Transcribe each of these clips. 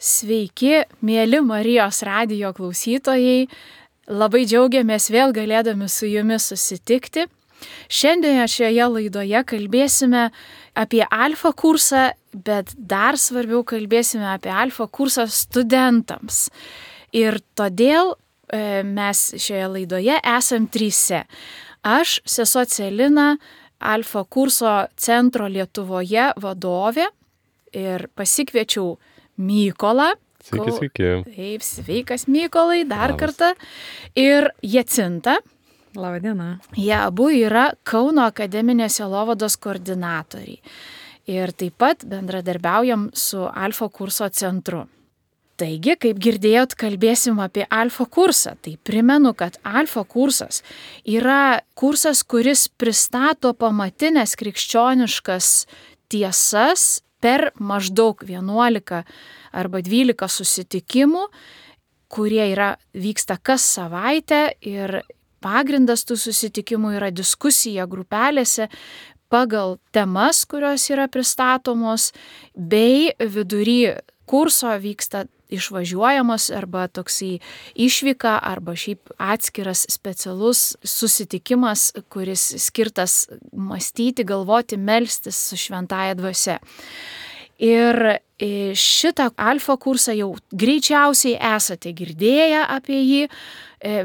Sveiki, mėly Marijos radijo klausytojai. Labai džiaugiamės vėl galėdami su jumis susitikti. Šiandien šioje laidoje kalbėsime apie alfa kursą, bet dar svarbiau kalbėsime apie alfa kursą studentams. Ir todėl mes šioje laidoje esam trise. Aš, sesuo Celina, alfa kurso centro Lietuvoje vadovė ir pasikviečiau Mykolą. Sveiki. Taip, sveikas Mykolai, dar kartą. Ir Jacinta. Labą dieną. Jie abu yra Kauno akademinės sielovados koordinatoriai. Ir taip pat bendradarbiaujam su alfa kurso centru. Taigi, kaip girdėjot, kalbėsim apie alfa kursą. Tai primenu, kad alfa kursas yra kursas, kuris pristato pamatinės krikščioniškas tiesas per maždaug 11 arba 12 susitikimų, kurie vyksta kas savaitę ir pagrindas tų susitikimų yra diskusija grupelėse pagal temas, kurios yra pristatomos, bei vidury kurso vyksta išvažiuojamos arba toksai išvyka arba šiaip atskiras specialus susitikimas, kuris skirtas mąstyti, galvoti, melstis su šventąja dvasia. Ir šitą alfa kursą jau greičiausiai esate girdėję apie jį,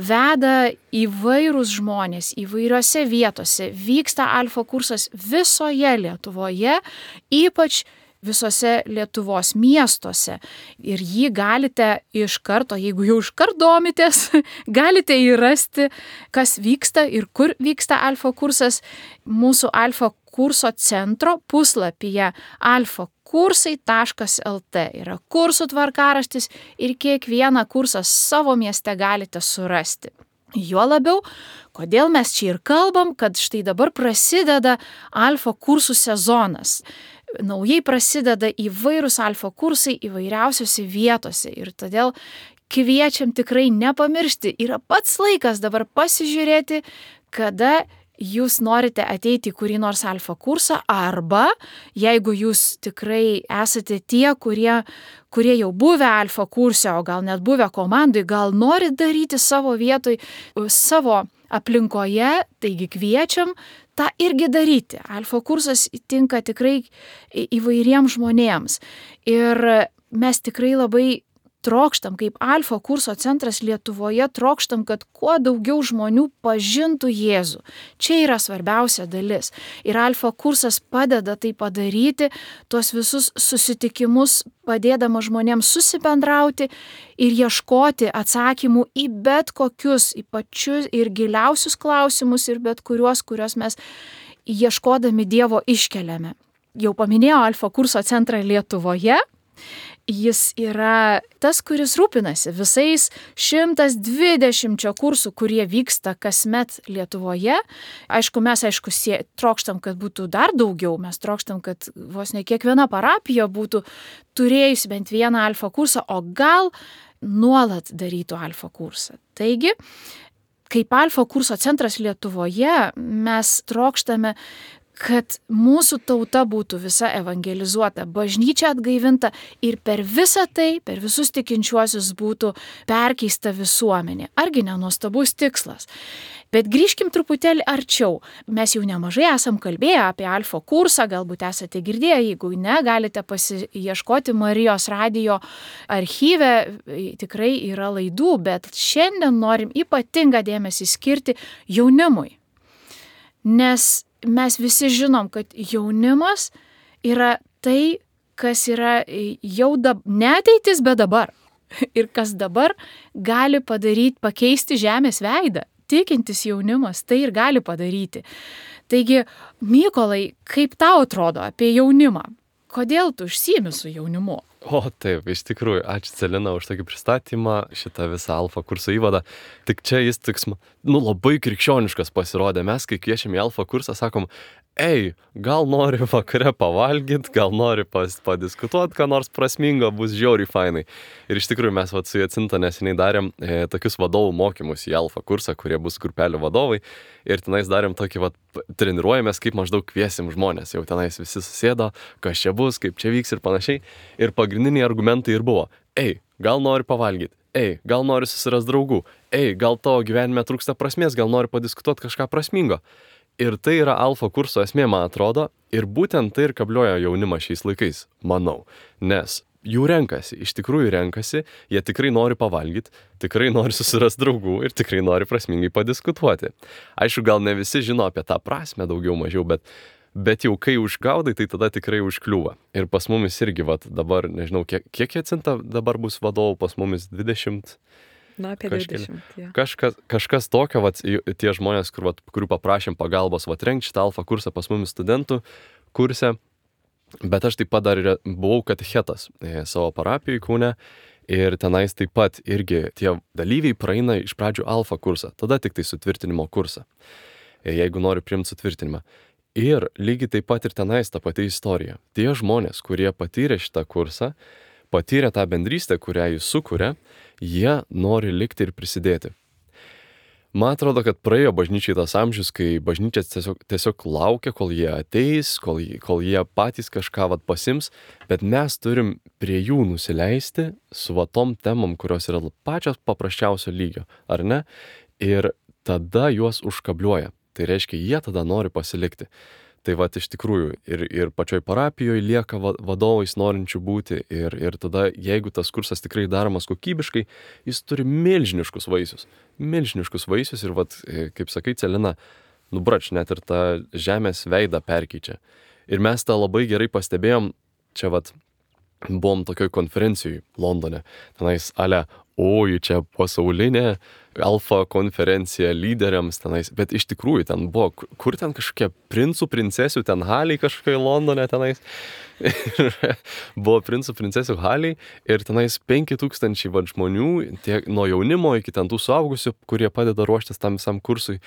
veda įvairūs žmonės įvairiose vietose. Vyksta alfa kursas visoje Lietuvoje, ypač visose Lietuvos miestuose. Ir jį galite iš karto, jeigu jau iš karto domitės, galite įrasti, kas vyksta ir kur vyksta alfa kursas mūsų alfa kurso centro puslapyje alfakursai.lt. Yra kursų tvarkaraštis ir kiekvieną kursą savo mieste galite surasti. Juo labiau, kodėl mes čia ir kalbam, kad štai dabar prasideda alfa kursų sezonas. Naujai prasideda įvairūs alfa kursai įvairiausiose vietose ir todėl kviečiam tikrai nepamiršti. Yra pats laikas dabar pasižiūrėti, kada jūs norite ateiti į kurį nors alfa kursą arba jeigu jūs tikrai esate tie, kurie jau buvę alfa kurse, o gal net buvę komandai, gal norit daryti savo vietoj, savo aplinkoje, taigi kviečiam tą irgi daryti. Alfa kursas tinka tikrai įvairiems žmonėms. Ir mes tikrai labai trokštam, kaip alfa kurso centras Lietuvoje, trokštam, kad kuo daugiau žmonių pažintų Jėzų. Čia yra svarbiausia dalis. Ir alfa kursas padeda tai padaryti, tuos visus susitikimus padėdama žmonėms susibendrauti ir ieškoti atsakymų į bet kokius, į pačius ir giliausius klausimus ir bet kuriuos mes ieškodami Dievo iškeliame. Jau paminėjau alfa kurso centrą Lietuvoje. Jis yra tas, kuris rūpinasi visais 120 kursų, kurie vyksta kasmet Lietuvoje. Aišku, mes trokštam, kad būtų dar daugiau. Mes trokštam, kad vos ne kiekviena parapija būtų turėjusi bent vieną alfa kursą, o gal nuolat darytų alfa kursą. Taigi, kaip alfa kurso centras Lietuvoje, mes trokštame, kad mūsų tauta būtų visa evangelizuota, bažnyčia atgaivinta ir per visą tai, per visus tikinčiuosius būtų perkeista visuomenė. Argi nenuostabus tikslas? Bet grįžkim truputėlį arčiau. Mes jau nemažai esam kalbėję apie alfa kursą, galbūt esate girdėję, jeigu ne, galite pasiieškoti Marijos radijo archyve, tikrai yra laidų, bet šiandien norim ypatingą dėmesį skirti jaunimui. Nes mes visi žinom, kad jaunimas yra tai, kas yra jau ne ateitis, bet dabar. Ir kas dabar gali pakeisti žemės veidą. Tikintis jaunimas tai ir gali padaryti. Taigi, Mykolai, kaip tau atrodo apie jaunimą? Kodėl tu užsiimi su jaunimu? O taip, iš tikrųjų, ačiū Celina už tokį pristatymą, šitą visą alfa kurso įvadą. Tik čia jis labai krikščioniškas pasirodė. Mes, kai kviečiam į alfa kursą, sakom, gal nori vakare pavalgyti, gal nori padiskutuoti, ką nors prasmingo, bus žiauriai fainai. Ir iš tikrųjų mes su Jacinta neseniai darėm tokius vadovų mokymus į alfa kursą, kurie bus grupelių vadovai. Ir tenais darėm tokį, treniruojamės, kaip maždaug kviesim žmonės. Jau tenais visi susėdo, kas čia bus, kaip čia vyks ir panašiai. Ir pagrindiniai argumentai ir buvo. ei, gal nori pavalgyti, ei, gal nori susirasti draugų, ei, gal tavo gyvenime trūksta prasmės, gal nori padiskutuoti kažką prasmingo. Ir tai yra alfa kurso esmė, man atrodo, ir būtent tai ir kablioja jaunimą šiais laikais, manau. Nes jų renkasi, iš tikrųjų renkasi, jie tikrai nori pavalgyti, tikrai nori susirasti draugų ir tikrai nori prasmingai padiskutuoti. Aišku, gal ne visi žino apie tą prasmę daugiau mažiau, bet jau kai užgaudai, tai tada tikrai užkliūva. Ir pas mumis irgi, dabar, nežinau, kiek Jacinta dabar bus vadovų, pas mumis 20. Na, apie 20. Ja. Kažkas tokio, tie žmonės, kurių paprašėm pagalbos, rengti šitą alfa kursą pas mumis studentų kurse, bet aš taip pat dar buvau katechetas savo parapijoje Kaune ir tenais taip pat irgi tie dalyviai praeina iš pradžių alfa kursą, tada tik tai sutvirtinimo kursą, jeigu nori priimti sutvirtinimą. Ir lygiai taip pat ir tenais ta pati istorija. Tie žmonės, kurie patyrė šitą kursą, patyrė tą bendrystę, kurią jis sukuria, jie nori likti ir prisidėti. Man atrodo, kad praėjo bažnyčiai tas amžius, kai bažnyčia tiesiog laukia, kol jie ateis, kol jie patys kažką pasims, bet mes turim prie jų nusileisti su tom temom, kurios yra pačios paprasčiausio lygio, ar ne? Ir tada juos užkabliuoja. Tai reiškia, jie tada nori pasilikti. Tai iš tikrųjų ir pačioj parapijoje lieka vadovais norinčių būti ir tada, jeigu tas kursas tikrai daromas kokybiškai, jis turi milžiniškus vaisius. Milžiniškus vaisius ir kaip sakai, Celina, nubrač, net ir tą žemės veidą perkeičia. Ir mes tą labai gerai pastebėjom, čia buvom tokioj konferencijoj Londone, tenais čia pasaulinė alfa konferencija lyderiams tenais, bet iš tikrųjų ten buvo, kur ten kažkokie princų, princesių, ten haliai kažkokiai Londone tenais, buvo princų, princesių haliai ir tenais 5000 žmonių, tiek nuo jaunimo iki ten tų suaugusių, kurie padeda ruoštis tam visam kursui.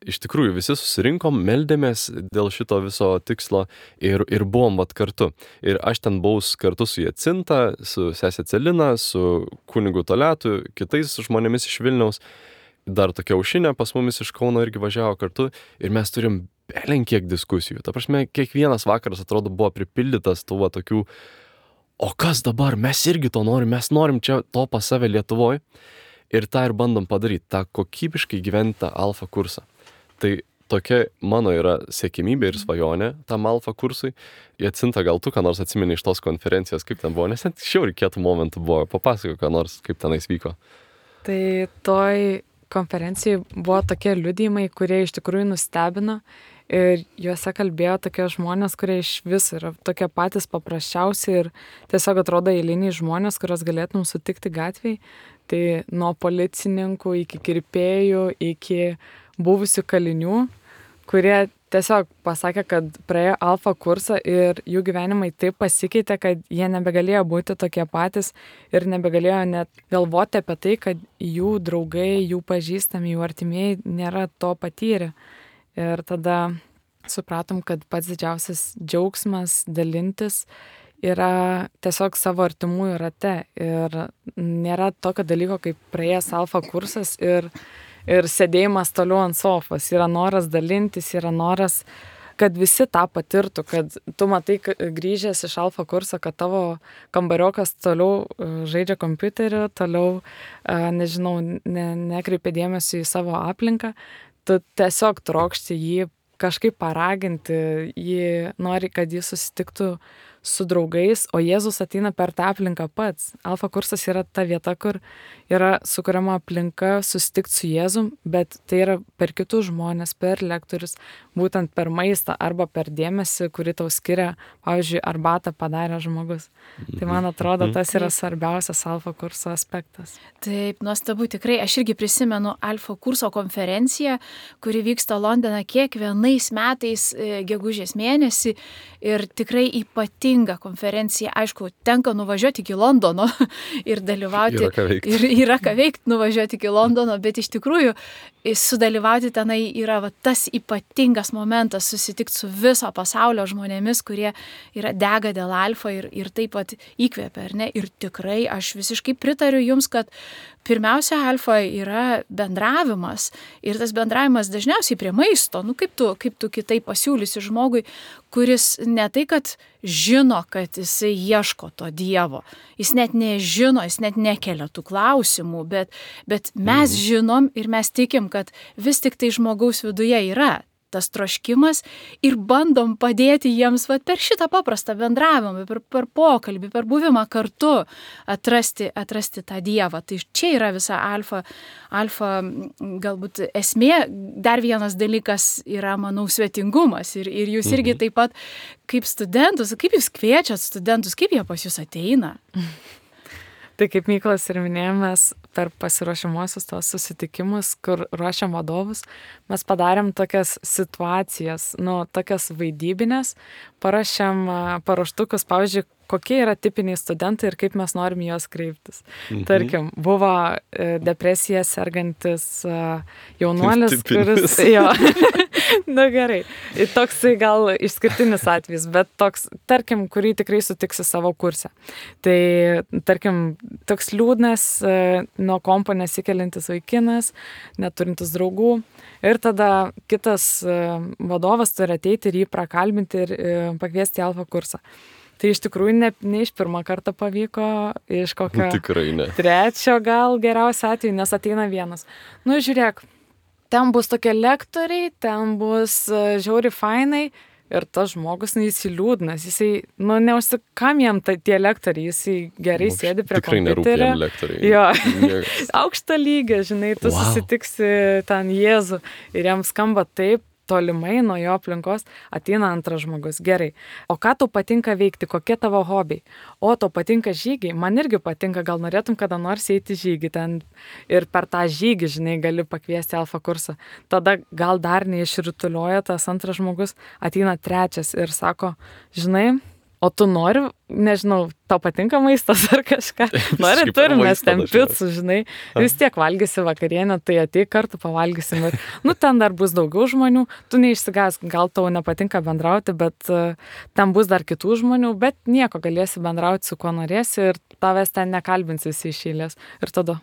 Iš tikrųjų visi susirinkom, meldėmės dėl šito viso tikslo ir buvom kartu. Ir aš ten buvau kartu su Jacinta, su sesė Celina, su kunigu Toletu, kitais žmonėmis iš Vilniaus. Dar tokia Aušinė pas mumis iš Kauno irgi važiavo kartu ir mes turim belenkiek diskusijų. Ta prasme, kiekvienas vakaras atrodo buvo pripildytas tų tokių, o kas dabar, mes irgi to norim, mes norim čia to pas save Lietuvoje ir tą ir bandom padaryti, tą kokybiškai gyventi alfa kursą. Tai tokia mano yra siekimybė ir svajonė tam alfa kursui. Jacinta, gal tu ką nors atsimeni iš tos konferencijos, kaip ten buvo, nes ten šiauriai kietų momentų buvo, papasako ką nors, kaip tenais vyko. Tai toj konferencijai buvo tokie liudijimai, kurie iš tikrųjų nustebino ir juose kalbėjo tokie žmonės, kurie iš viso yra tokie patys paprasčiausi ir tiesiog atrodo eiliniai žmonės, kurios galėtum sutikti gatvėj. Tai nuo policininkų iki kirpėjų, iki buvusių kalinių, kurie tiesiog pasakė, kad praėjo alfa kursą ir jų gyvenimai taip pasikeitė, kad jie nebegalėjo būti tokie patys ir nebegalėjo net galvoti apie tai, kad jų draugai, jų pažįstami, jų artimieji nėra to patyrę. Ir tada supratom, kad pats didžiausias džiaugsmas dalintis yra tiesiog savo artimųjų rate ir nėra tokio dalyko kaip praėjęs alfa kursas ir sėdėjimas toliau ant sofos. Yra noras dalintis, yra noras, kad visi tą patirtų, kad tu matai grįžęs iš alfa kurso, kad tavo kambariokas toliau žaidžia kompiuteriu, toliau, nežinau, nekreipia dėmesio į savo aplinką. Tu tiesiog trokšti jį kažkaip paraginti, jį nori, kad jis susitiktų su draugais, o Jėzus ateina per tą aplinką pats. Alfa kursas yra ta vieta, kur yra sukuriama aplinka susitikti su Jėzum, bet tai yra per kitus žmonės, per lektorius, būtent per maistą arba per dėmesį, kurį tau skiria, pavyzdžiui, arbatą padarė žmogus. Tai man atrodo, tas yra svarbiausias alfa kurso aspektas. Taip, nuostabu, tikrai. Aš irgi prisimenu alfa kurso konferenciją, kuri vyksta Londone kiekvienais metais gegužės mėnesį ir tikrai ypatinga konferencija. Aišku, tenka nuvažiuoti iki Londono ir dalyvauti. Yra ką veikti nuvažiuoti iki Londono, bet iš tikrųjų sudalyvauti tenai yra tas ypatingas momentas susitikti su viso pasaulio žmonėmis, kurie yra dega dėl alfa ir taip pat įkvepia, ar ne? Ir tikrai aš visiškai pritariu jums, kad pirmiausia alfa yra bendravimas ir tas bendravimas dažniausiai prie maisto. Kaip tu kitaip pasiūlysi žmogui, kuris ne tai, kad žino, kad jisai ieško to Dievo. Jis net nežino, jis net nekelia tų klausimų, bet mes žinom ir mes tikim, kad vis tik tai žmogaus viduje yra tas troškimas ir bandom padėti jiems per šitą paprastą bendravimą, per pokalbį, per buvimą kartu atrasti tą Dievą. Tai čia yra visa alfa galbūt esmė. Dar vienas dalykas yra, manau, svetingumas. Ir jūs irgi taip pat kaip studentus, kaip jūs kviečiat studentus, kaip jie pas jūs ateina? Tai kaip Mykolas ir minėjomės, per pasiruošimuosius tos susitikimus, kur ruošiam vadovus, mes padarėm tokias situacijas, tokias vaidybinės, parašėm paruoštukus, pavyzdžiui, kokie yra tipiniai studentai ir kaip mes norim juos kreiptis. Tarkim, buvo depresija sergantis jaunuolis, kuris... Jo, gerai. Toksai gal išskirtinis atvejis, bet toks, tarkim, kurį tikrai sutiksi savo kurse. Tai, tarkim, toks liūdnas, nuo kompo nesikeliantis vaikinas, neturintis draugų. Ir tada kitas vadovas turi ateiti ir jį prakalbinti ir pakviesti į alfa kursą. Tai iš tikrųjų ne iš pirmą kartą pavyko, iš kokio trečio gal geriausio atveju, nes ateina vienas. Žiūrėk, ten bus tokie lektoriai, ten bus žiauri fainai ir tas žmogus, jis liūdnas, jisai, neužsikam jam tie lektoriai, jisai gerai sėdi prie kompiuterio. Tikrai nerūpi jam lektoriai. Jo, aukštą lygį, žinai, tu susitiksi ten Jėzų ir jam skamba taip, tolimai nuo jo aplinkos ateina antras žmogus. Gerai. O ką tau patinka veikti? Kokie tavo hobiai? O tau patinka žygiai? Man irgi patinka, gal norėtum kada nors eiti žygį ten ir per tą žygį, žinai, gali pakviesti alfa kursą. Tada gal dar neišritulioja tas antras žmogus, ateina trečias ir sako, žinai, o tu nori, nežinau, tau patinka maistas ar kažką? Nori, turim mes ten picų, žinai, vis tiek valgysi vakarienę, tai ateik kartu pavalgysim. Ir, ten dar bus daugiau žmonių, tu neišsigąsk, gal tau nepatinka bendrauti, bet ten bus dar kitų žmonių, bet nieko, galėsi bendrauti su kuo norėsi ir tavęs ten nekalbins visi iš eilės. Ir tada,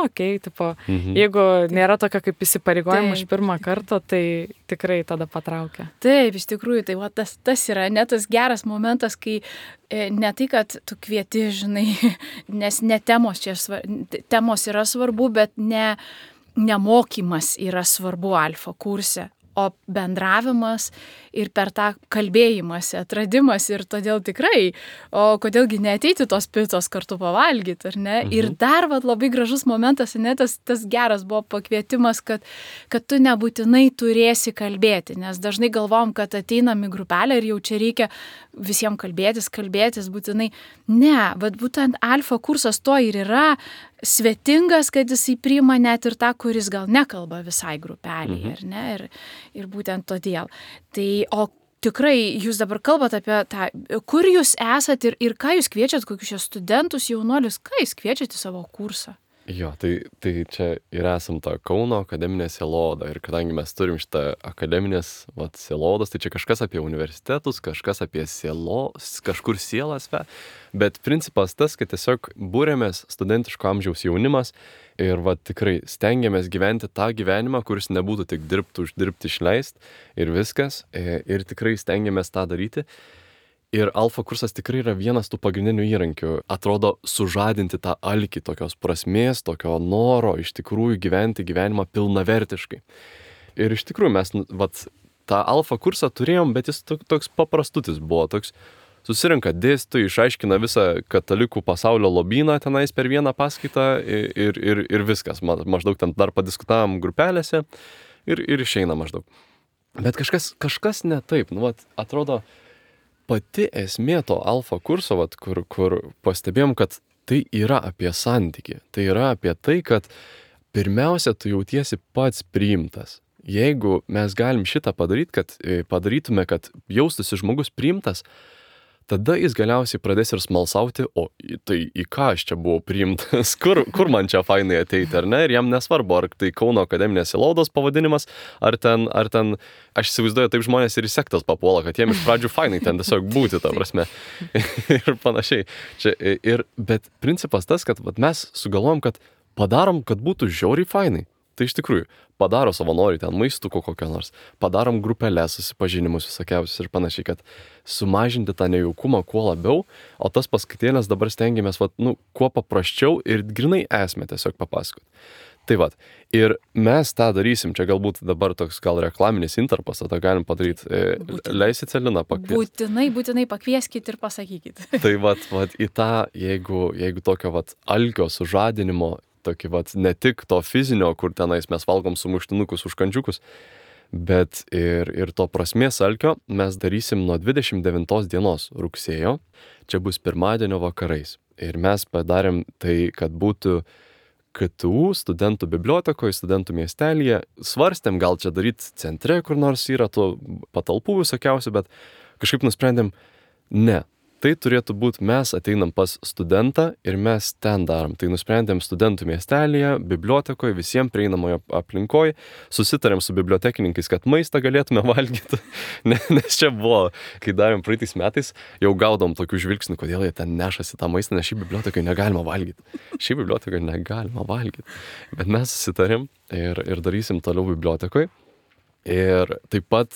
okei, tipo, jeigu nėra tokio kaip įsipareigojimo iš pirmą kartą, tai tikrai tada patraukia. Taip, iš tikrųjų, tai tas yra net tas geras momentas, kai ne tai, kad tu kvieti, žinai, nes ne temos čia temos yra svarbu, bet ne mokymas yra svarbu alfa kurse, o bendravimas ir per tą kalbėjimąsi, atradimas ir todėl tikrai, o kodėlgi neateiti tos picos kartu pavalgyti, ar ne? Ir dar labai gražus momentas, ne, tas geras buvo pakvietimas, kad tu nebūtinai turėsi kalbėti, nes dažnai galvom, kad ateinam į grupelę ir jau čia reikia visiems kalbėtis būtinai. Ne, bet būtent alfa kursas to ir yra svetingas, kad jisai priima net ir tą, kuris gal nekalba visai grupelėje, ar ne? Ir būtent todėl. Tai, o tikrai jūs dabar kalbat apie tą, kur jūs esat ir ką jūs kviečiat, kokius čia studentus, jaunuolius, ką jūs kviečiat į savo kursą? Jo, tai čia ir esam ta Kauno akademinė sieloda ir kadangi mes turim šitą akademinės sielodas, tai čia kažkas apie universitetus, kažkas apie kažkur sielas, bet principas tas, kad tiesiog būrėmės studentiško amžiaus jaunimas ir tikrai stengiamės gyventi tą gyvenimą, kuris nebūtų tik dirbti, uždirbti, išleisti ir viskas, ir tikrai stengiamės tą daryti. Ir alfa kursas tikrai yra vienas tų pagrindinių įrankių, atrodo, sužadinti tą alkį tokios prasmės, tokio noro iš tikrųjų gyventi gyvenimą pilnavertiškai. Ir iš tikrųjų mes tą alfa kursą turėjom, bet jis toks paprastutis buvo, toks susirenka dėstytojai, išaiškina visą katalikų pasaulio lobyną tenais per vieną paskaitą ir viskas. Maždaug ten dar padiskutavom grupelėse ir išeina maždaug. Bet kažkas ne taip, atrodo, pati esmė to alfa kurso, kur pastebėjom, kad tai yra apie santykį. Tai yra apie tai, kad pirmiausia, tu jautiesi pats priimtas. Jeigu mes galim šitą padarytume, kad jaustųsi žmogus priimtas, tada jis galiausiai pradės ir smalsauti, o tai į ką aš čia buvau priimtas, kur man čia fainai ateiti, ar ne? Ir jam nesvarbu, ar tai Kauno akademinės sielodos pavadinimas, ar ten, aš įsivaizduoju, taip žmonės ir į sektas papuola, kad jiem iš pradžių fainai ten tiesiog būti, ta prasme. Ir panašiai. Bet principas tas, kad mes sugalvojom, kad padarom, kad būtų žiauriai fainai. Tai iš tikrųjų, padaro savanoriai ten maistuko kokio nors, padarom grupelės, susipažinimus visokiausius ir panašiai, kad sumažinti tą nejaukumą kuo labiau, o tas paskaitėlės dabar stengiamės, kuo paprasčiau ir grinai esmę tiesiog papasakoti. Tai ir mes tą darysim, čia galbūt dabar toks gal reklaminis intarpas, tą galim padaryti. Leisit Celiną pakviesti? Būtinai pakvieskit ir pasakykit. Tai į tą, jeigu tokio alkio sužadinimo, tokį ne tik to fizinio, kur tenais mes valgom sumuštinukus, užkandžiukus, bet ir to prasmės alkio mes darysim nuo 29 dienos rugsėjo, čia bus pirmadienio vakarais. Ir mes padarėm tai, kad būtų KTU studentų bibliotekoje, studentų miestelėje, svarstėm gal čia daryti centre, kur nors yra tų patalpų visokiausių, bet kažkaip nusprendėm, ne. Tai turėtų būti, mes ateinam pas studentą ir mes ten darom. Tai nusprendėm studentų miestelėje, bibliotekoje, visiems prieinamoje aplinkoje, susitarėm su bibliotekininkais, kad maistą galėtume valgyti, nes čia buvo, kai darėm praeitais metais, jau gaudom tokių žvilgsnių, kodėl jie ten nešasi tą maistą, nes šį bibliotekai negalima valgyti. Bet mes susitarėm ir darysim toliau bibliotekoje. Ir taip pat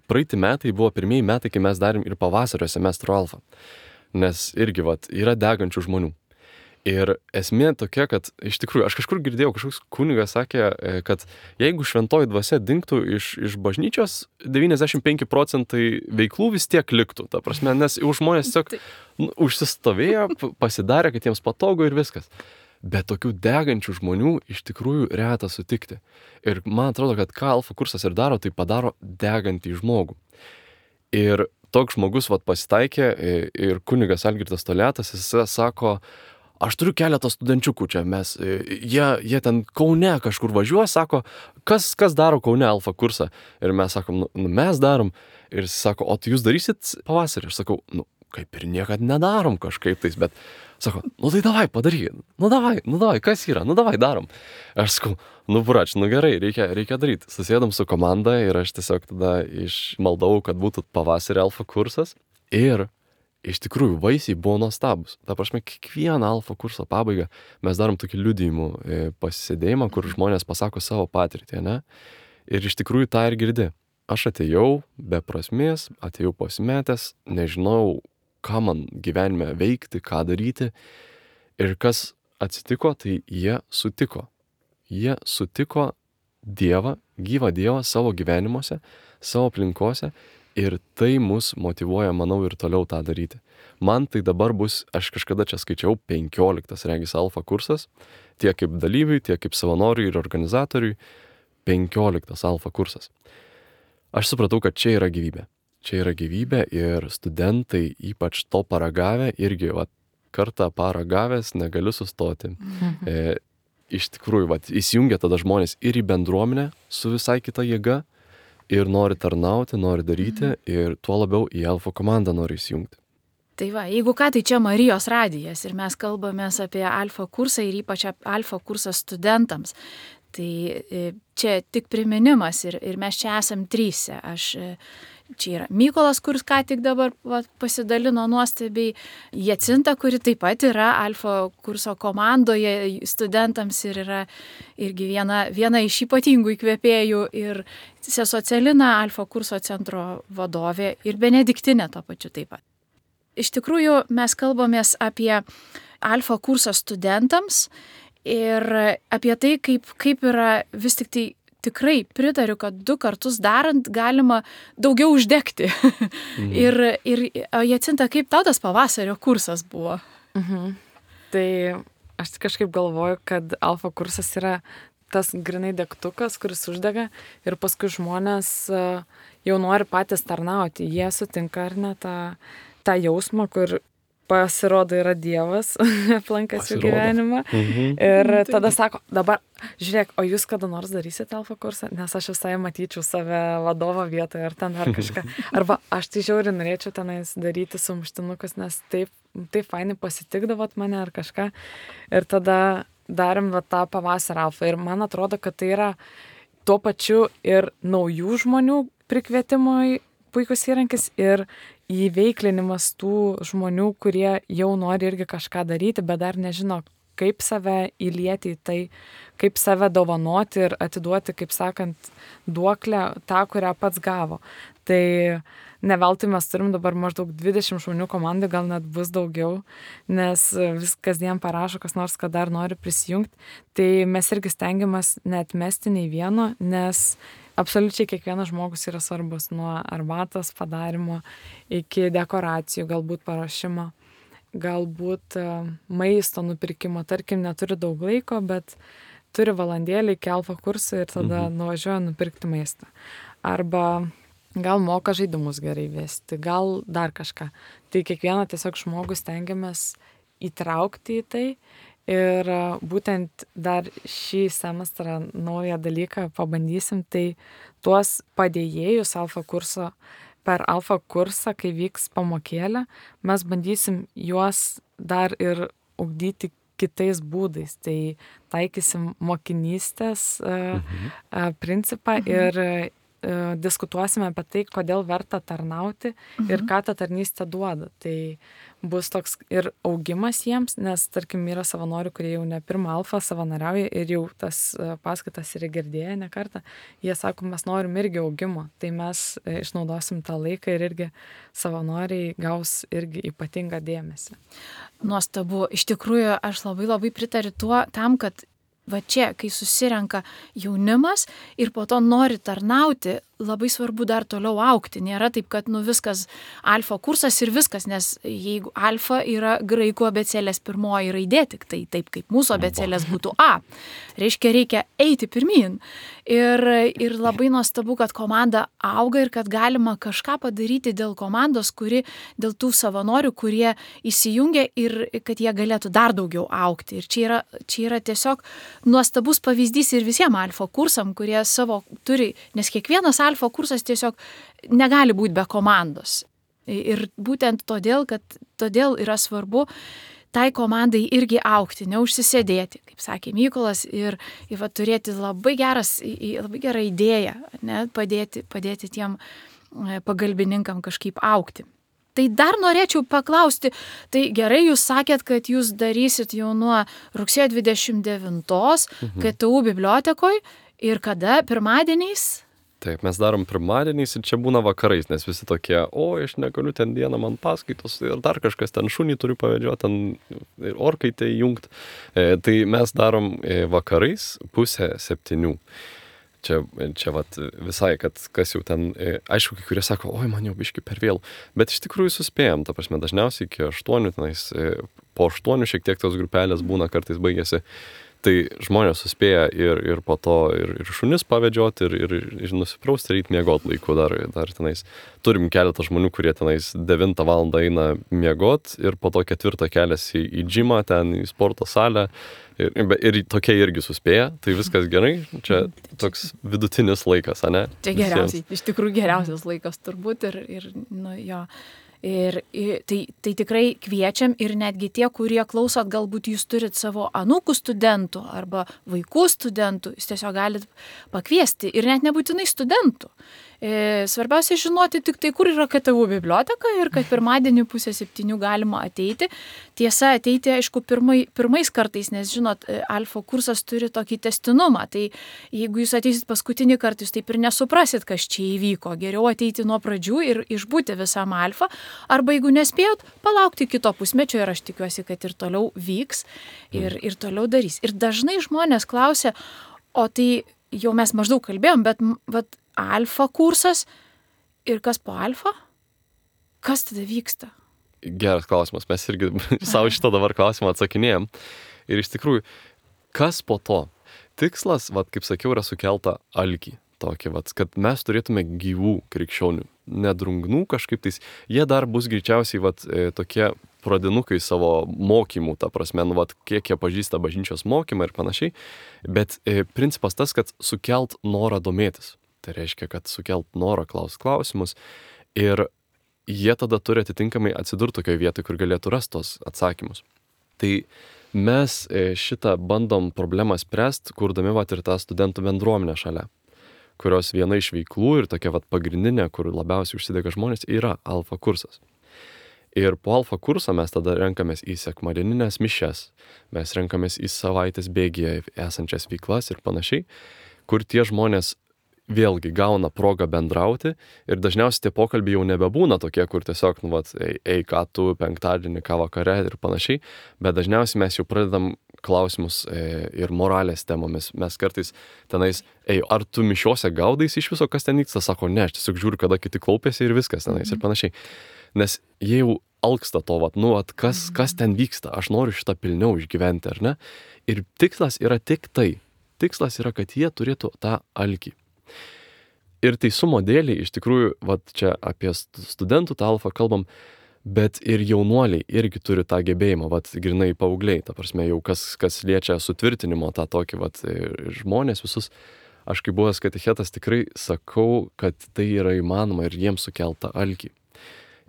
praeiti metai buvo pirmieji metai, kai mes darėm ir pavasario semestro alfą, nes irgi yra degančių žmonių. Ir esmė tokia, kad iš tikrųjų, aš kažkur girdėjau, kažkoks kunigas sakė, kad jeigu šventoji dvasia dingtų iš bažnyčios, 95% veiklų vis tiek liktų. Ta prasme, nes žmonės tiesiog užsistovėjo, pasidarė, kad jiems patogu ir viskas. Bet tokių degančių žmonių iš tikrųjų reta sutikti. Ir man atrodo, kad ką alfa kursas ir daro, tai padaro degantį žmogų. Ir toks žmogus pasitaikė ir kunigas Algirdas Toliatas, jis sako, aš turiu keletą studenčiukų čia, jie ten Kaune kažkur važiuoja, sako, kas daro Kaune alfa kursą? Ir mes sakom, mes darom. Ir jis sako, o tai jūs darysit pavasarį? Aš sakau, kaip ir niekad nedarom kažkaip tais, bet sako, tai davai padaryk, davai, kas yra, davai darom. Aš sakau, brač, gerai, reikia daryti. Susėdom su komanda ir aš tiesiog tada išmaldavau, kad būtų pavasarį alfa kursas ir iš tikrųjų vaisiai buvo nuostabus. Ta prasme, kiekvieną alfa kurso pabaigą mes darom tokį liudijimų pasisėdėjimą, kur žmonės pasako savo patirtį, ne? Ir iš tikrųjų tą ir girdi. Aš atėjau be prasmės, atėjau pasimetęs, nežinau, ką man gyvenime veikti, ką daryti. Ir kas atsitiko, tai jie sutiko. Jie sutiko Dievą, gyvą Dievą savo gyvenimuose, savo aplinkose ir tai mus motyvuoja, manau, ir toliau tą daryti. Man tai dabar bus, aš kažkada čia skaičiau, 15 regis alfa kursas, tiek kaip dalyviui, tiek kaip savanoriui ir organizatoriui, 15 alfa kursas. Aš supratau, kad čia yra gyvybė. Čia yra gyvybė ir studentai, ypač to paragavę, irgi kartą paragavęs negaliu sustoti. Iš tikrųjų, įsijungia tada žmonės ir į bendruomenę su visai kita jėga ir nori tarnauti, nori daryti ir tuo labiau į alfa komandą nori įsijungti. Tai jeigu ką, tai čia Marijos radijas ir mes kalbamės apie alfa kursą ir ypač alfa kursą studentams. Tai čia tik priminimas ir mes čia esam tryse. Čia yra Mykolas, kuris ką tik dabar pasidalino nuostabiai, Jacinta, kuri taip pat yra alfa kurso komandoje studentams ir yra irgi viena iš ypatingų įkvėpėjų ir sesuo Celina, alfa kurso centro vadovė ir Benediktinė to pačiu taip pat. Iš tikrųjų, mes kalbamės apie alfa kursą studentams ir apie tai, kaip yra vis tik tai tikrai pritariu, kad 2 kartus darant galima daugiau uždegti. Ir Jacinta, kaip tau tas pavasario kursas buvo? Tai aš kažkaip galvoju, kad alfa kursas yra tas grinai degtukas, kuris uždega ir paskui žmonės jau nori patys tarnauti. Jie sutinka ar ne tą jausmą, kur pasirodo yra Dievas aplankęs jų gyvenimą. Ir tada sako, dabar žiūrėk, o jūs kada nors darysite alfa kursą? Nes aš visai matyčiau save vadovo vietoje ar ten ar kažką. Arba aš tai žiauriai norėčiau tenais daryti sumuštinukus, nes taip fainai pasitikdavot mane ar kažką. Ir tada darėm tą pavasarį alfa. Ir man atrodo, kad tai yra tuo pačiu ir naujų žmonių prikvietimui puikus įrankis ir įveiklinimas tų žmonių, kurie jau nori irgi kažką daryti, bet dar nežino, kaip save įlieti į tai, kaip save dovanoti ir atiduoti, kaip sakant, duoklę tą, kurią pats gavo. Tai ne veltui mes turim dabar maždaug 20 žmonių komandai, gal net bus daugiau, nes vis kasdien parašo kas nors, kad dar nori prisijungti. Tai mes irgi stengiamės neatmesti nei vieno, nes absoliučiai kiekvienas žmogus yra svarbus, nuo arbatos padarimo iki dekoracijų, galbūt paruošimo, galbūt maisto nupirkimo. Tarkim, neturi daug laiko, bet turi valandėlį iki alfa kursų ir tada nuvažiuoja nupirkti maistą. Arba gal moka žaidimus gerai vesti, gal dar kažką. Tai kiekvieną tiesiog žmogų stengiamės įtraukti į tai. Ir būtent dar šį semestrą naują dalyką pabandysim, tai tuos padėjėjus alfa kurso, per alfa kursą, kai vyks pamokėlė, mes bandysim juos dar ir ugdyti kitais būdais. Tai taikysim mokinystės principą ir diskutuosime apie tai, kodėl verta tarnauti ir ką ta tarnystė duoda. Tai bus toks ir augimas jiems, nes, tarkim, yra savanorių, kurie jau ne pirmą alfą savanoriauja ir jau tas paskaitas yra girdėję ne kartą. Jie sako, mes norim irgi augimo. Tai mes išnaudosim tą laiką ir irgi savanoriai gaus irgi ypatingą dėmesį. Nuostabu. Iš tikrųjų, aš labai pritariu tam, kad va čia, kai susirenka jaunimas ir po to nori tarnauti, labai svarbu dar toliau augti. Nėra taip, kad viskas alfa kursas ir viskas, nes jeigu alfa yra graikų abėcėlės pirmoji raidė, tik tai taip kaip mūsų abėcėlės būtų A. Reiškia eiti pirmyn. Ir labai nuostabu, kad komanda auga ir kad galima kažką padaryti dėl komandos, dėl tų savanorių, kurie įsijungia ir kad jie galėtų dar daugiau augti. Ir čia yra tiesiog nuostabus pavyzdys ir visiems alfa kursam, kurie savo turi, nes kiekvienas alfa kursas tiesiog negali būti be komandos. Ir būtent todėl yra svarbu tai komandai irgi augti, neužsisėdėti, kaip sakė Mykolas, ir turėti labai gerą idėją, ne, padėti tiem pagalbininkam kažkaip augti. Tai dar norėčiau paklausti, tai gerai, jūs sakėt, kad jūs darysit jau nuo rugsėjo 29 KTU bibliotekoje ir kada? Pirmadieniais? Taip, mes darom pirmadieniais ir čia būna vakarais, nes visi tokie, aš negaliu ten dieną, man paskaitos ir dar kažkas ten šunį turiu pavedžioti, ten orkaitę įjungti. Tai mes darom vakarais 6:30. Čia vat visai, kad kas jau ten, aišku, kai kurie sako, man jau biški per vėlų, bet iš tikrųjų suspėjom, ta prasme, dažniausiai iki 8, tenais, po 8 šiek tiek tos grupelės būna, kartais baigėsi. Tai žmonės suspėja ir po to ir šunis pavedžioti, ir nusiprausti, ir miegot laiku dar tenais. Turim keletą žmonių, kurie tenais 9 valandą eina miegot ir po to 4 keliasi į džimą, ten į sporto salę ir tokie irgi suspėja, tai viskas gerai. Čia toks vidutinis laikas, ane? Čia geriausiai, iš tikrųjų geriausias laikas turbūt ir jo. Ir tai tikrai kviečiam ir netgi tie, kurie klausot, galbūt jūs turit savo anūkų studentų arba vaikų studentų, jūs tiesiog galit pakviesti ir net nebūtinai studentų. Svarbiausia žinoti tik tai, kur yra KTU biblioteka ir kad pirmadienį 6:30 galima ateiti. Tiesa, ateiti, aišku, pirmais kartais, nes, žinot, alfa kursas turi tokį testinumą. Tai jeigu jūs ateisit paskutinį kartą, jūs taip ir nesuprasit, kas čia įvyko. Geriau ateiti nuo pradžių ir išbūti visam alfa. Arba jeigu nespėjot, palaukti kito pusmečio ir aš tikiuosi, kad ir toliau vyks ir toliau darys. Ir dažnai žmonės klausia, o tai jau mes maždaug kalbėjom, bet alfa kursas ir kas po alfa? Kas tada vyksta? Geras klausimas, mes irgi savo šitą dabar klausimą atsakinėjom. Ir iš tikrųjų, kas po to? Tikslas, kaip sakiau, yra sukelta alkį. Tokį, kad mes turėtume gyvų krikščionių, nedrungnų kažkaip tais. Jie dar bus greičiausiai tokie pradinukai savo mokymų, ta prasme, kiek jie pažįsta bažnyčios mokymą ir panašiai. Bet principas tas, kad sukelt norą domėtis. Tai reiškia, kad sukelt norą klausimus ir jie tada turi atitinkamai atsidurti tokioje vietoje, kur galėtų rasti tos atsakymus. Tai mes šitą bandom problemą spręsti, kurdami ir tą studentų bendruomenę šalia, kurios viena iš veiklų ir tokia pagrindinė, kur labiausiai užsidega žmonės, yra alfa kursas. Ir po alfa kurso mes tada renkamės į sekmadieninės mišias, mes renkamės į savaitės bėgyje esančias veiklas ir panašiai, kur tie žmonės vėlgi gauna progą bendrauti ir dažniausiai tie pokalbiai jau nebebūna tokie, kur tiesiog, ei, ką tu penktadienį, ką vakare ir panašiai, bet dažniausiai mes jau pradedam klausimus ir moralės temomis. Mes kartais tenais, ar tu mišiuose gaudais iš viso, kas ten vyksta, sako, ne, aš tiesiog žiūriu, kada kiti klaupiasi ir viskas tenais ir panašiai. Nes jie jau alksta to, kas ten vyksta, aš noriu šitą pilniau išgyventi, ar ne? Ir tikslas yra tik tai. Tikslas yra, kad jie turėtų tą alkį. Ir teisumo dėlį, iš tikrųjų, čia apie studentų tą alfą kalbam, bet ir jaunuoliai irgi turi tą gebėjimą, grinai paaugliai, ta prasme, jau kas liečia sutvirtinimo tą tokį, žmonės visus, aš kaip buvęs katechetas tikrai sakau, kad tai yra įmanoma ir jiems sukelta alkį.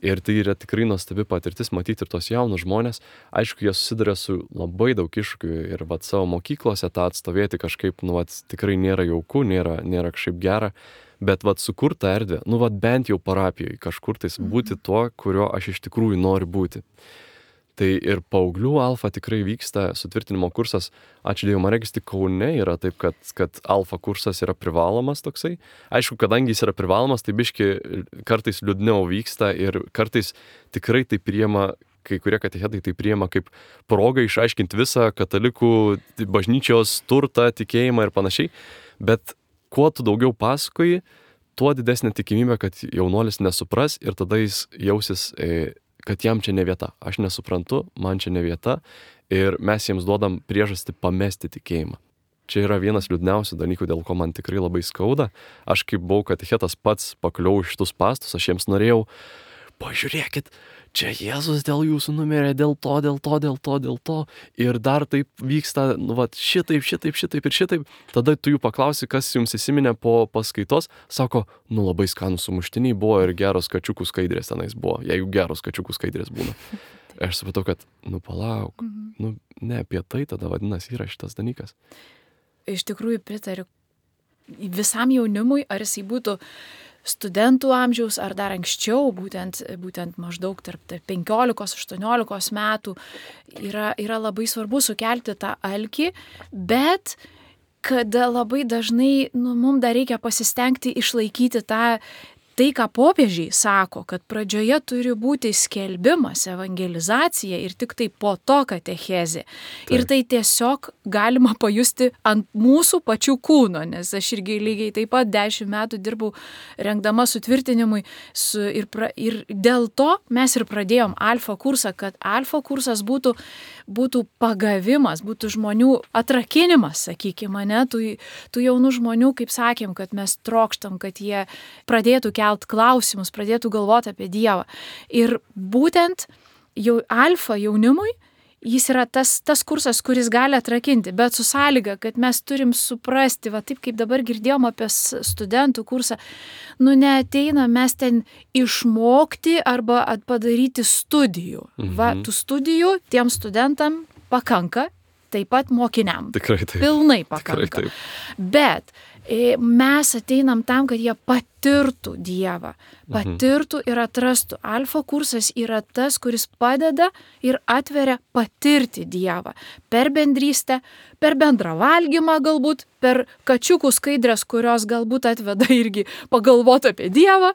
Ir tai yra tikrai nuostabi patirtis matyti ir tos jaunus žmonės. Aišku, jie susiduria su labai daug iššūkių ir savo mokyklose tą atstovėti kažkaip, tikrai nėra jauku, nėra kažkaip gera, bet sukurta erdvė, bent jau parapijoje kažkur tais būti tuo, kurio aš iš tikrųjų noriu būti. Tai ir paauglių alfa tikrai vyksta, sutvirtinimo kursas, ačiū Dievui, man regis tik Kaune yra taip, kad alfa kursas yra privalomas toksai. Aišku, kadangi jis yra privalomas, tai biški kartais liūdniau vyksta ir kartais tikrai tai priima, kai kurie katechetai tai priima kaip progą išaiškinti visą katalikų bažnyčios turtą, tikėjimą ir panašiai. Bet kuo tu daugiau pasakoji, tuo didesnė tikimybė, kad jaunuolis nesupras ir tada jis jausis kad jam čia ne vieta. Aš nesuprantu, man čia ne vieta ir mes jiems duodam priežastį pamesti tikėjimą. Čia yra vienas liūdniausių dalykų, dėl ko man tikrai labai skauda. Aš kaip buvau katechetas pats pakliau šitus pastus, aš jiems norėjau, pažiūrėkit, čia Jėzus dėl jūsų numirė, dėl to. Ir dar taip vyksta, šitaip ir šitaip. Tada tu jų paklausi, kas jums įsiminė po paskaitos. Sako, labai skanūs sumuštiniai buvo ir geros kačiukų skaidrės tenais buvo, jeigu geros kačiukų skaidrės būna. Aš supratau, kad, palauk, ne apie tai tada vadinasi yra šitas dalykas. Iš tikrųjų pritariu visam jaunimui, ar jisai būtų studentų amžiaus ar dar anksčiau, būtent maždaug tarp 15-18 metų yra labai svarbu sukelti tą alkį, bet kada labai dažnai mums dar reikia pasistengti išlaikyti tai, ką popiežiai sako, kad pradžioje turi būti skelbimas, evangelizacija ir tik tai po to katechezė. Taip. Ir tai tiesiog galima pajusti ant mūsų pačių kūno, nes aš irgi lygiai taip pat 10 metų dirbau rengdama sutvirtinimui ir dėl to mes ir pradėjom alfa kursą, kad alfa kursas būtų pagavimas, būtų žmonių atrakinimas, sakykime, ne, tų jaunų žmonių, kaip sakėm, kad mes trokštam, kad jie pradėtų kelt klausimus, pradėtų galvoti apie Dievą. Ir būtent alfa jaunimui jis yra tas kursas, kuris gali atrakinti, bet su sąlyga, kad mes turim suprasti, taip kaip dabar girdėjom apie studentų kursą, neateina mes ten išmokti arba padaryti studijų. Tų studijų tiem studentam pakanka, taip pat mokiniam. Tikrai taip. Pilnai pakanka. Tikrai taip. Bet mes ateinam tam, kad jie patirtų Dievą, patirtų ir atrastų. Alfa kursas yra tas, kuris padeda ir atveria patirti Dievą. Per bendrystę, per bendrą valgymą galbūt, per kačiukų skaidrės, kurios galbūt atveda irgi pagalvoti apie Dievą,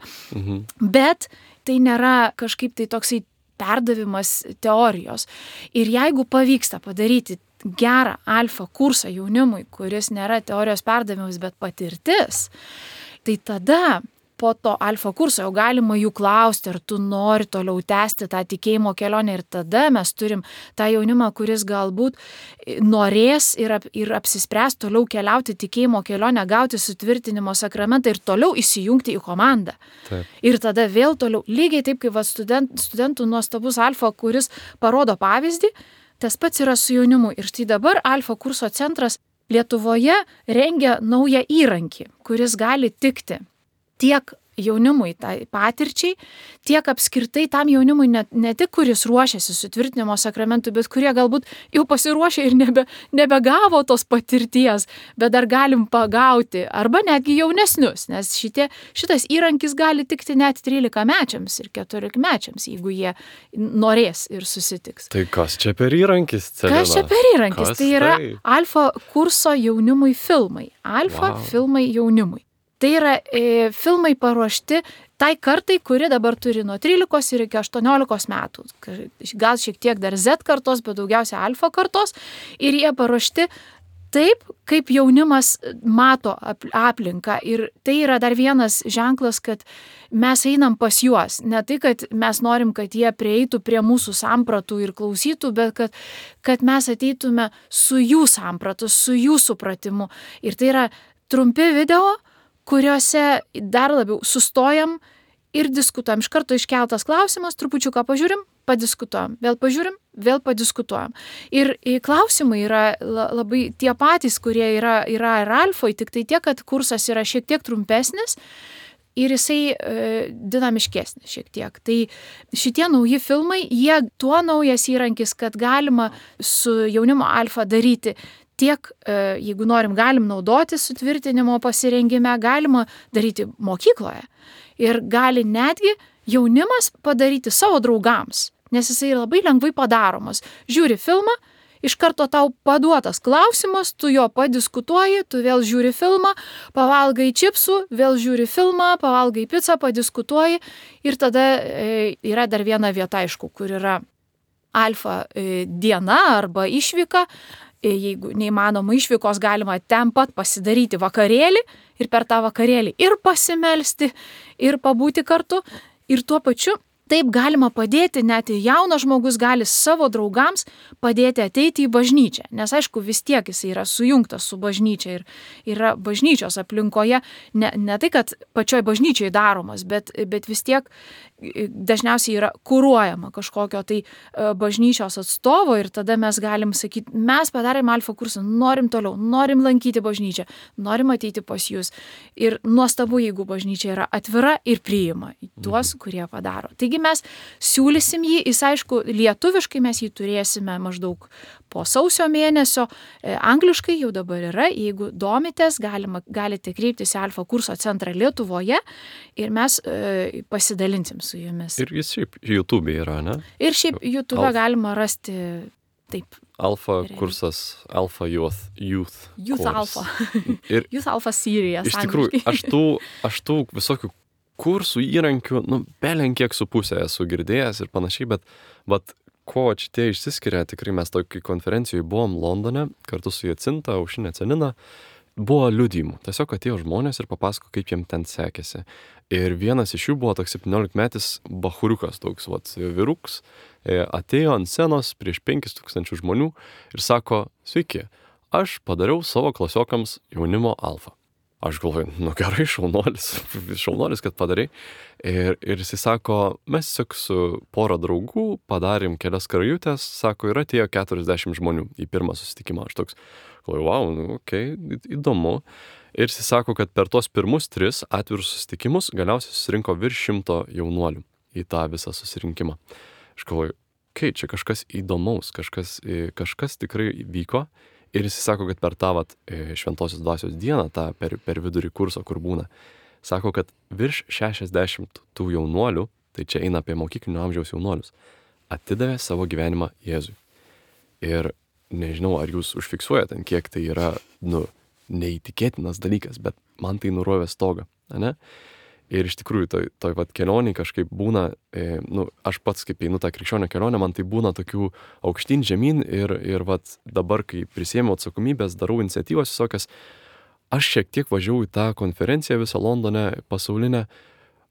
bet tai nėra kažkaip tai toksai perdavimas teorijos. Ir jeigu pavyksta padaryti gerą alfa kursą jaunimui, kuris nėra teorijos perdavimas, bet patirtis, tai tada po to alfa kurso jau galima jų klausti, ar tu nori toliau tęsti tą tikėjimo kelionę ir tada mes turim tą jaunimą, kuris galbūt norės ir apsispręs toliau keliauti tikėjimo kelionę, gauti sutvirtinimo sakramentą ir toliau įsijungti į komandą. Taip. Ir tada vėl toliau, lygiai taip kaip studentų nuostabus alfa, kuris parodo pavyzdį, tas pats yra su jaunimu. Ir štai dabar alfa kurso centras Lietuvoje rengia naują įrankį, kuris gali tikti tiek jaunimui tai patirčiai, tiek apskritai tam jaunimui ne tik, kuris ruošiasi sutvirtinimo sakramentui, bet kurie galbūt jau pasiruošė ir nebegavo tos patirties, bet dar galim pagauti, arba netgi jaunesnius, nes šitas įrankis gali tikti net 13-mečiams ir 14-mečiams, jeigu jie norės ir susitiks. Tai kas čia per įrankis, Celina? Kas čia per įrankis? Tai yra Alfa kurso jaunimui filmai. Alfa filmai jaunimui. Tai yra filmai paruošti tai kartai, kuri dabar turi nuo 13 ir iki 18 metų. Gal šiek tiek dar Z kartos, bet daugiausia Alfa kartos. Ir jie paruošti taip, kaip jaunimas mato aplinką. Ir tai yra dar vienas ženklas, kad mes einam pas juos. Ne tai, kad mes norim, kad jie prieitų prie mūsų sampratų ir klausytų, bet kad mes ateitume su jų sampratu, su jų supratimu. Ir tai yra trumpi video, kuriuose dar labiau sustojam ir diskutuojam. Iš karto iškeltas klausimas, trupučiuką pažiūrim, padiskutuojam, vėl pažiūrim, vėl padiskutuojam. Ir klausimai yra labai tie patys, kurie yra ir Alfoj, tik tai tiek, kad kursas yra šiek tiek trumpesnis ir jisai dinamiškesnis šiek tiek. Tai šitie nauji filmai, jie tuo naujas įrankis, kad galima su jaunimo Alfa daryti tiek, jeigu norim, galim naudoti sutvirtinimo pasirengime, galima daryti mokykloje. Ir gali netgi jaunimas padaryti savo draugams, nes jisai labai lengvai padaromas. Žiūri filmą, iš karto tau paduotas klausimas, tu jo padiskutuoji, tu vėl žiūri filmą, pavalgai čipsų, vėl žiūri filmą, pavalgai pizzą, padiskutuoji ir tada yra dar viena vieta, aišku, kur yra Alfa diena arba išvyka. Jeigu neįmanoma išvykos, galima ten pat pasidaryti vakarėlį ir per tą vakarėlį ir pasimelsti, ir pabūti kartu. Ir tuo pačiu taip galima padėti, net jaunas žmogus gali savo draugams padėti ateiti į bažnyčią. Nes aišku, vis tiek jis yra sujungtas su bažnyčia ir yra bažnyčios aplinkoje. Ne tai, kad pačioj bažnyčiai daromas, bet vis tiek dažniausiai yra kuruojama kažkokio tai bažnyčios atstovo ir tada mes galim sakyti, mes padarėm Alfa kursą, norim toliau, norim lankyti bažnyčią, norim ateiti pas jūs. Ir nuostabu, jeigu bažnyčia yra atvira ir priima tuos, kurie padaro. Taigi mes siūlysim jį, jis aišku, lietuviškai mes jį turėsime maždaug po sausio mėnesio, angliškai jau dabar yra, jeigu domitės, galite kreiptis į Alfa kurso centrą Lietuvoje ir mes pasidalinsim su jumis. Ir jis šiaip YouTube yra, ne? Ir šiaip YouTube galima rasti taip. Alfa kursas, Alfa Youth Youth Alfa. Ir Youth Alfa Series. Iš tikrųjų, aš tų visokių kursų įrankių, belenkiek su pusė esu girdėjęs ir panašiai, bet ko šitie išsiskiria, tikrai mes tokį konferencijoje buvom Londone, kartu su Jacinta, Aušinė Celina, buvo liudijimų. Tiesiog atėjo žmonės ir papasako, kaip jiem ten sekėsi. Ir vienas iš jų buvo toks 17-metis bachuriukas, toks vyruks, atėjo ant scenos prieš 5000 žmonių ir sako, sveiki, aš padariau savo klasiokams jaunimo Alfa. Aš galvoju, gerai, šaunuolis, kad padarai. Ir jisai sako, mes tiesiog su pora draugų padarėm kelias karajutės, sako, ir atėjo 40 žmonių į pirmą susitikimą. Aš toks, galvoju, wow, įdomu. Ir jisai sako, kad per tos pirmus 3 atvirus susitikimus galiausiai susirinko virš 100 jaunuolių į tą visą susirinkimą. Aš galvoju, čia kažkas įdomaus, kažkas tikrai vyko. Ir jis sako, kad per tą šventosios dvasios dieną, tą per vidurį kurso, kur būna, sako, kad virš 60 tų jaunuolių, tai čia eina apie mokyklinio amžiaus jaunuolius, atidavė savo gyvenimą Jėzui. Ir nežinau, ar jūs užfiksuojate, kiek tai yra, neįtikėtinas dalykas, bet man tai nurovė stogą, ne? Ir iš tikrųjų, toj kelionėj kažkaip būna, aš pats kaip einu tą krikščionio kelionę, man tai būna tokių aukštyn žemyn ir dabar, kai prisėmiau atsakomybės, darau iniciatyvas visokias, aš šiek tiek važiavau į tą konferenciją visą Londone, pasaulinę,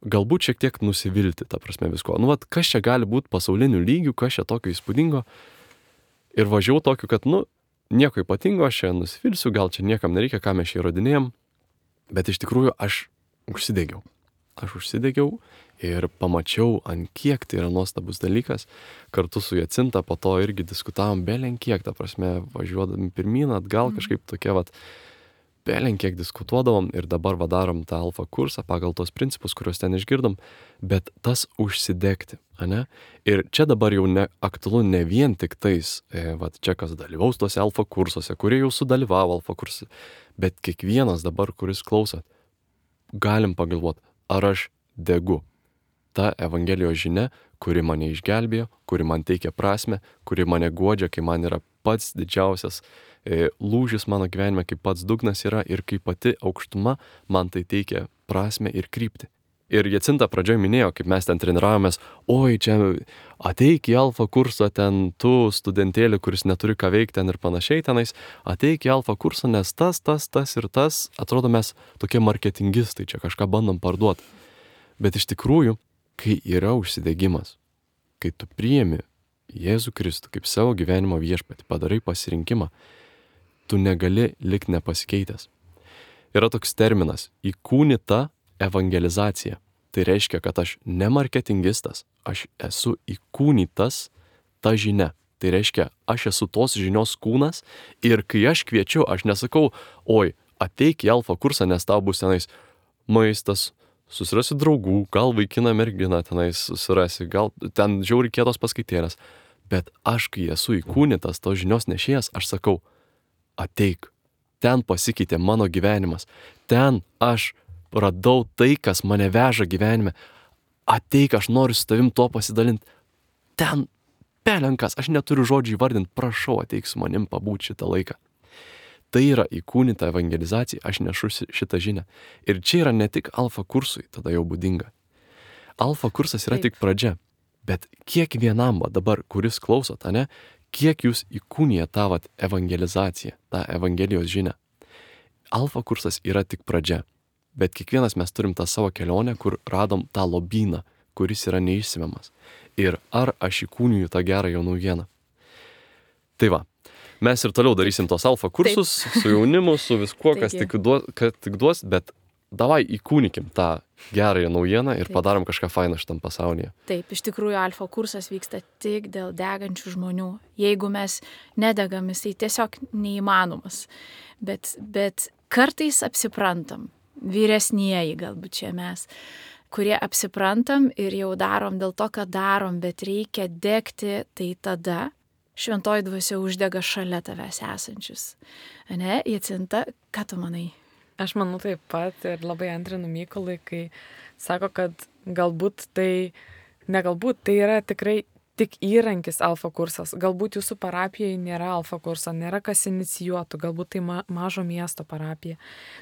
galbūt šiek tiek nusivilti, ta prasme visko. Kas čia gali būti pasaulinių lygių, kas čia tokio įspūdingo. Ir važiavau tokiu, kad, nieko ypatingo, aš čia nusivilsiu, gal čia niekam nereikia, ką mes čia įrodinėjom, bet iš tikrųjų aš užsidegiau ir pamačiau, ant kiek tai yra nuostabus dalykas. Kartu su Jacinta po to irgi diskutavom belenkiek, ta prasme, važiuodami pirmyn, atgal kažkaip tokie belenkiek diskutuodavom ir dabar darom tą alfa kursą pagal tos principus, kuriuos ten išgirdom, bet tas užsidegti, ane? Ir čia dabar jau aktualu ne vien tik tais, čia kas dalyvaus tose alfa kursuose, kurie jau sudalyvavo alfa kursuose, bet kiekvienas dabar, kuris klausot, galim pagalvoti, ar aš degu ta Evangelijos žinia, kuri mane išgelbėjo, kuri man teikia prasme, kuri mane guodžia, kai man yra pats didžiausias lūžis mano gyvenime, kaip pats dugnas yra ir kaip pati aukštuma man tai teikia prasme ir kryptį. Ir Jacinta pradžioje minėjo, kaip mes ten treniravomės, oi, čia ateik į alfa kursą, ten tu studentėlį, kuris neturi ką veikti ten ir panašiai tenais, ateik į alfa kursą, nes tas ir tas, atrodo mes tokie marketingistai, čia kažką bandom parduoti. Bet iš tikrųjų, kai yra užsidegimas, kai tu priimi Jėzų Kristų kaip savo gyvenimo viešpatį, padarai pasirinkimą, tu negali likti nepasikeitęs. Yra toks terminas – įkūnyta evangelizacija. Tai reiškia, kad aš ne marketingistas, aš esu įkūnytas ta žinia. Tai reiškia, aš esu tos žinios kūnas ir kai aš kviečiu, aš nesakau, oi, ateik į alfa kursą, nes tau bus tenais maistas, susirasi draugų, gal vaikiną merginą tenais susirasi, gal ten žiauriai kietos paskaitėlės. Bet aš, kai esu įkūnytas tos žinios nešėjas, aš sakau, ateik, ten pasikeitė mano gyvenimas, ten aš radau tai, kas mane veža gyvenime, ateik, aš noriu su tavim to pasidalinti, ten pelenkas, aš neturiu žodžių įvardinti, prašau, ateik su manim pabūti šitą laiką. Tai yra įkūnyta evangelizacija, aš nešu šitą žinią. Ir čia yra ne tik alfa kursui, tada jau būdinga. Alfa kursas yra tik pradžia, bet kiekvienam dabar, kuris klausot, ane, kiek jūs įkūnija tą evangelizaciją, tą evangelijos žinią. Alfa kursas yra tik pradžia, bet kiekvienas mes turim tą savo kelionę, kur radom tą lobyną, kuris yra neišsemiamas. Ir ar aš įkūniju tą gerąją naujieną. Tai va. Mes ir toliau darysim tos alfa kursus su jaunimu, su viskuo, kas tik duos, bet davai įkūnikim tą gerąją naujieną ir padarom kažką fainą šitam pasaulyje. Taip, iš tikrųjų alfa kursas vyksta tik dėl degančių žmonių. Jeigu mes nedegam, tai tiesiog neįmanomas. Bet kartais apsiprantam, vyresnieji galbūt čia mes, kurie apsiprantam ir jau darom dėl to, kad darom, bet reikia degti, tai tada šventoji dvasia uždega šalia tavęs esančius. Ane, Jacinta, ką tu manai? Aš manau taip pat ir labai antrinu Mykolui, kai sako, kad galbūt tai yra tikrai tik įrankis alfa kursas. Galbūt jūsų parapijoje nėra alfa kurso, nėra kas inicijuotų, galbūt tai mažo miesto parapija.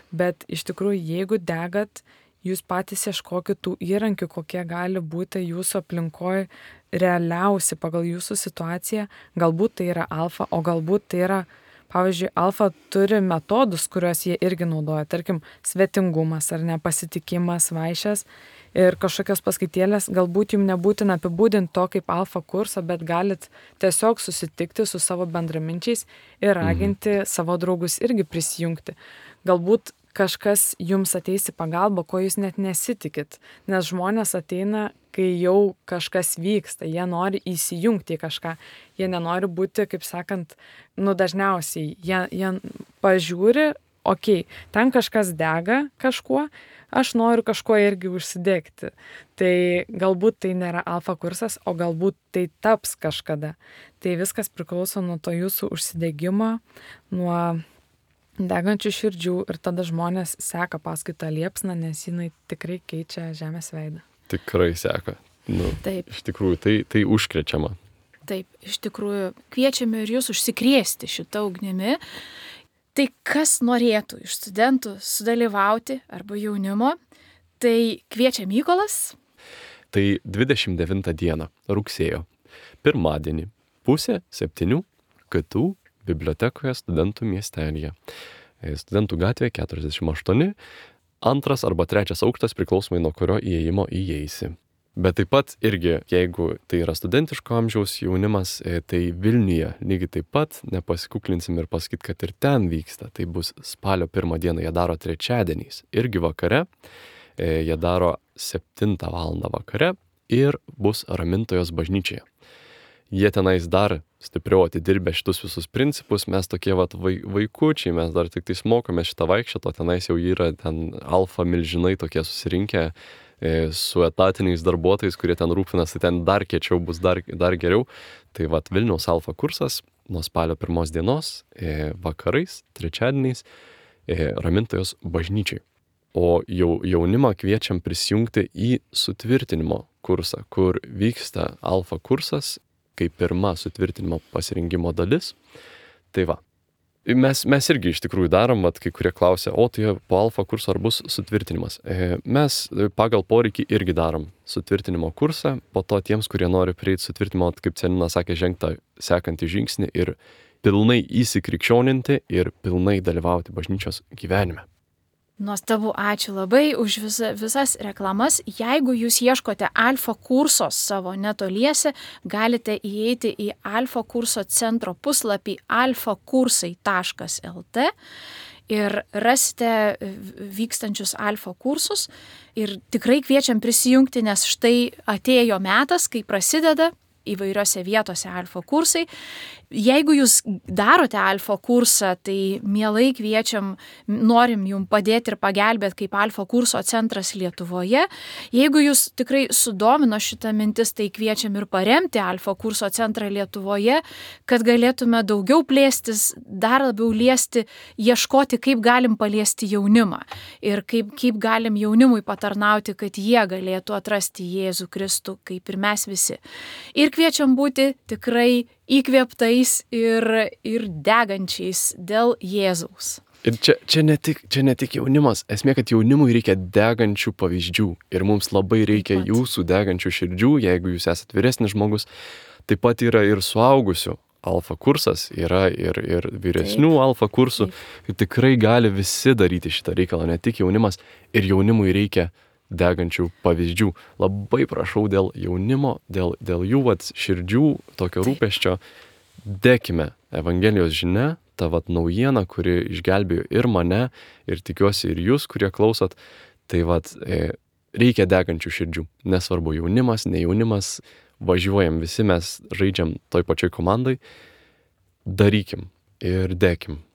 Bet iš tikrųjų, jeigu degat, jūs patys ieškokit tų įrankių, kokie gali būti jūsų aplinkoje realiausi pagal jūsų situaciją. Galbūt tai yra alfa, o galbūt tai yra, pavyzdžiui, alfa turi metodus, kuriuos jie irgi naudoja. Tarkim, svetingumas ar nepasitikimas, vaišės ir kažkokios paskaitėlės. Galbūt jums nebūtina apibūdinti to kaip alfa kursą, bet galit tiesiog susitikti su savo bendraminčiais ir raginti savo draugus irgi prisijungti. Galbūt kažkas jums ateis į pagalbą, ko jūs net nesitikit. Nes žmonės ateina, kai jau kažkas vyksta, jie nori įsijungti į kažką. Jie nenori būti, kaip sakant, dažniausiai. Jie pažiūri, okei, ten kažkas dega kažkuo, aš noriu kažkuo irgi užsidegti. Tai galbūt tai nėra alfa kursas, o galbūt tai taps kažkada. Tai viskas priklauso nuo to jūsų užsidegimo, nuo degančių širdžių ir tada žmonės seka paskui tą liepsną, nes jinai tikrai keičia žemės veidą. Tikrai seka. Taip. Iš tikrųjų, tai užkrečiama. Taip, iš tikrųjų, kviečiame ir jūs užsikrėsti šitą ugnimi. Tai kas norėtų iš studentų sudalyvauti arba jaunimo, tai kviečia Mykolas. Tai 29 dieną, rugsėjo, pirmadienį, 6:30 KTU bibliotekoje studentų miestelyje. Studentų gatvė 48, 2 arba 3 aukštas priklausomai nuo kurio įėjimo įeisi. Bet taip pat irgi, jeigu tai yra studentiško amžiaus jaunimas, tai Vilniuje lygiai taip pat nepasikuklinsim ir pasakyt, kad ir ten vyksta. Tai bus spalio 1 dieną, jie daro trečiadieniais, irgi vakare, jie daro 7 valandą vakare ir bus Ramintojos bažnyčioje. jie tenais dar stipriau atidirbę šitus visus principus, mes tokie vat vaikučiai, mes dar tik tais mokomės šitą vaikščiotą, tenais jau yra ten alfa milžinai tokie susirinkę su etatiniais darbuotojais, kurie ten rūpinasi, ten dar kiečiau bus, dar geriau. Tai vat Vilniaus alfa kursas nuo spalio 1 dienos, vakarais, trečiadieniais, Ramintojos bažnyčiai. O jaunimą kviečiam prisijungti į sutvirtinimo kursą, kur vyksta alfa kursas, kaip pirma sutvirtinimo pasirinkimo dalis. Tai va, mes irgi iš tikrųjų darom, vat, kai kurie klausia, o tai po alfa kurso ar bus sutvirtinimas. Mes pagal poreikį irgi darom sutvirtinimo kursą, po to tiems, kurie nori prieiti sutvirtinimo, kaip Celina sakė, žengti sekantį žingsnį ir pilnai įsikrikščioninti ir pilnai dalyvauti bažnyčios gyvenime. Nuostabu, ačiū labai už visas reklamas. Jeigu jūs ieškote alfa kurso savo netoliese, galite įeiti į alfa kurso centro puslapį alfakursai.lt ir rasite vykstančius alfa kursus. Ir tikrai kviečiam prisijungti, nes štai atėjo metas, kai prasideda įvairiose vietose alfa kursai. Jeigu jūs darote alfa kursą, tai mielai kviečiam, norim jums padėti ir pagelbėti kaip alfa kurso centras Lietuvoje. Jeigu jūs tikrai sudomino šitą mintis, tai kviečiam ir paremti alfa kurso centrą Lietuvoje, kad galėtume daugiau plėstis, dar labiau liesti, ieškoti, kaip galim paliesti jaunimą ir kaip galim jaunimui patarnauti, kad jie galėtų atrasti Jėzų Kristų, kaip ir mes visi. Ir kviečiam būti tikrai įkvėptais ir degančiais dėl Jėzaus. Ir čia ne tik jaunimas, esmė, kad jaunimui reikia degančių pavyzdžių ir mums labai reikia jūsų degančių širdžių, jeigu jūs esate vyresnis žmogus. Taip pat yra ir suaugusių alfa kursas, yra ir vyresnių alfa kursų. Ir tikrai gali visi daryti šitą reikalą, ne tik jaunimas, ir jaunimui reikia degančių pavyzdžių. Labai prašau dėl jaunimo, dėl jų širdžių, tokio rūpesčio, dekime Evangelijos žinia, ta naujiena, kuri išgelbėjo ir mane, ir tikiuosi ir jūs, kurie klausot, tai reikia degančių širdžių. Nesvarbu jaunimas, ne jaunimas, važiuojam visi, mes žaidžiam toj pačioj komandai, darykim ir dekim.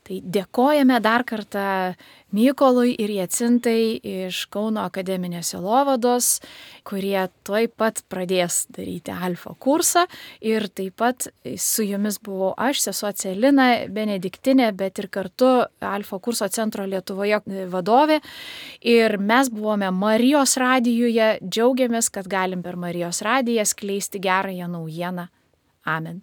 Tai dėkojame dar kartą Mykolui ir Jacintai iš Kauno akademinės sielovados, kurie tuoj pat pradės daryti alfa kursą. Ir taip pat su jumis buvau aš, sesuo Celina Benediktinė, bet ir kartu alfa kurso centro Lietuvoje vadovė. Ir mes buvome Marijos radijuje, džiaugiamės, kad galim per Marijos radiją skleisti gerąją naujieną. Amen.